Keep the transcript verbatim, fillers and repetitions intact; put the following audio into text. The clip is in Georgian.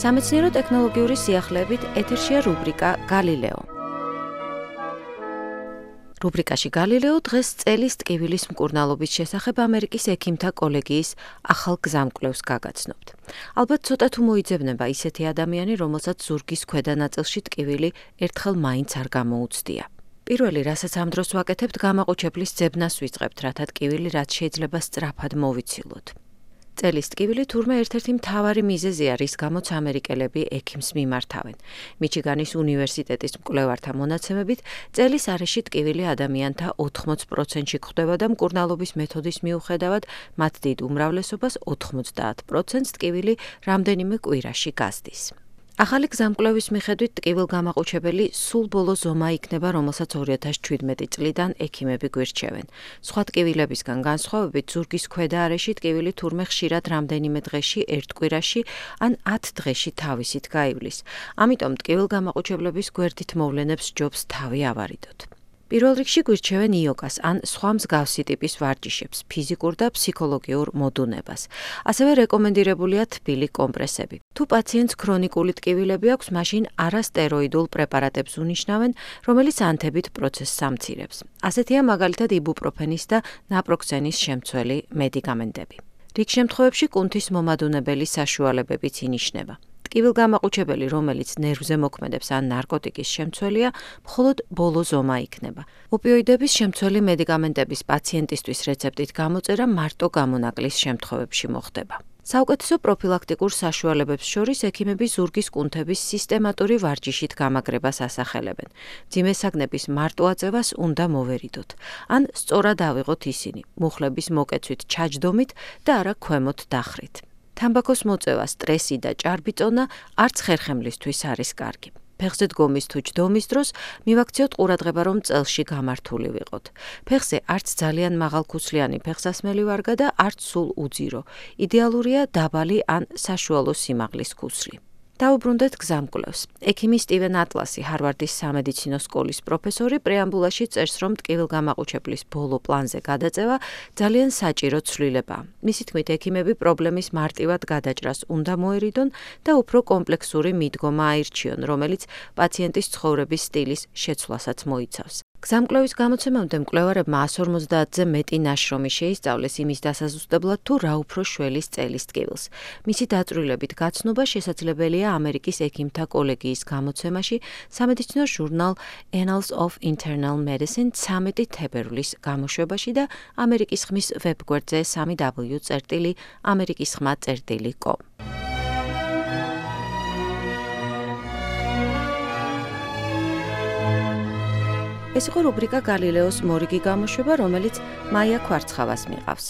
სამეცნიერო-ტექნოლოგიური სიახლეებით ეთერშია რუბრიკა გალილეო. რუბრიკაში გალილეო დღეს წელის ტკივილის მკურნალობის შესახებ ამერიკის ექიმთა კოლეგიის ახალ გზამკვლევს გაგაცნობთ. ალბათ ცოტა თუ მოიძებნება ისეთი ადამიანი, რომელსაც ზურგის ქვედა ნაწილში ტკივილი ერთხელ მაინც არ გამოუცდია. პირველი, რასაც ამ დროს ვაკეთებთ, გამაყუჩებლის ძებნას ვიწყებთ, რათა ტკივილი რაც შეიძლება სწრაფად მოვიცილოთ. წელის ტკივილი თურმე ერთ-ერთი მთავარი მიზეზია, რის გამოც ამერიკელები ექიმს მიმართავენ. მიჩიგანის უნივერსიტეტის მკვლევართა მონაცემებით, წელის არეში ტკივილი ადამიანთა ოთხმოც პროცენტში გვხვდება და მკურნალობის მეთოდის მიუხედავად, მათ დიდ უმრავლესობას ოთხმოცდაათ პროცენტს ტკივილი რამდენიმე კვირაში გასდის. ახალი გზამკვლევის მიხედვით ტკივილგამაყუჩებელი სულ ბოლო ზომა იქნება, რომელსაც ორი ათას შვიდმეტი წლიდან ექიმები გვირჩევენ. სხვა ტკივილებისგან განსხვავებით, ზურგის ქვედა არეში ტკივილი თურმე ხშირად რამდენიმე დღეში, ერთ კვირაში ან ათ დღეში თავისით გაივლის. ამიტომ ტკივილგამაყუჩებლების გვერდით მოვლენებს ჯობს თავი ავარიდოთ. პირველ რიგში გვირჩევენ იოგას ან სხვა მსგავსი ტიპის ვარჯიშებს, ფიზიკურ და ფსიქოლოგიურ მოდუნებას. ასევე რეკომენდირებულია თბილი კომპრესები. თუ პაციენტს ქრონიკული ტკივილები აქვს, მაშინ არასტეროიდულ პრეპარატებს უნიშნავენ, რომელიც ანთებით პროცესს ამცირებს. ასეთია მაგალითად იბუპროფენის და ნაპროქსენის შემცველი მედიკამენტები. რიგ შემთხვევებში კუნთის მომადუნებელი საშუალებებიც ინიშნება. ტკივილგამაყუჩებელი, რომელიც ნერვზე მოქმედებს ან ნარკოტიკის შემცველია, მხოლოდ ბოლო ზომა იქნება. ოპიოიდების შემცველი მედიკამენტების პაციენტისთვის რეცეპტით გამოწერა მარტო გამონაკლის შემთხვევებში მოხდება. საუკეთესო პროფილაქტიკურ საშუალებებს შორის ექიმები ზურგის კუნთების სისტემატური ვარჯიშით გამაგრებას ასახელებენ. მძიმე საგნების მარტო აწევას უნდა მოვერიდოთ. ან სწორად ავიღოთ ისინი, მუხლების მოკეცვით ჩაჯდომით და არა ქვემოთ დახრით. თამბაქოს მოწევა, სტრესი და ჭარბიწონა არც ხერხემლისთვის არის კარგი. ფეხზე დგომის თუ ჯდომის დროს მივაქციოთ ყურადღება, რომ წელში გამართული ვიყოთ. ფეხზე არც ძალიან მაღალქუსლიანი ფეხსასმელი ვარგა და არც სულ უძირო. იდეალურია დაბალი ან საშუალო სიმაღლის ქუსლი. დაუბრუნდეთ გზამკვლევს. ექიმი სტივენ ატლასი, ჰარვარდის სამედიცინო სკოლის პროფესორი, პრეამბულაში წერს, რომ ტკივილგამაყუჩებლის ბოლო პლანზე გადაწევა ძალიან საჭირო ცვლილებაა. მისი თქმით, ექიმები პრობლემის მარტივად გადაჭრას უნდა მოერიდონ და უფრო კომპლექსური მიდგომა აირჩიონ, რომელიც პაციენტის ცხოვრების სტილის შეცვლასაც მოიცავს. გზამკვლევის გამოცემამდე მკვლევარებმა ას ორმოცდაათზე მეტი ნაშრომი შეისწავლეს იმის დასაზუსტებლად, თუ რა უფრო შველის წელის ტკივილს. მისი დაწვრილებით გაცნობა შესაძლებელია ამერიკის ექიმთა კოლეგიის გამოცემაში სამედიცინო ჟურნალ Annals of Internal Medicine ცამეტი თებერვლის გამოშვებაში და ამერიკის ხმის ვებგვერდზე სამი დაბლიუ წერტილი ამერიკის ხმა წერტილი კომ. ეს იყო რუბრიკა გალილეოს მორიგი გამოშვება, რომელიც მაია ქვარცხავას მიყავს.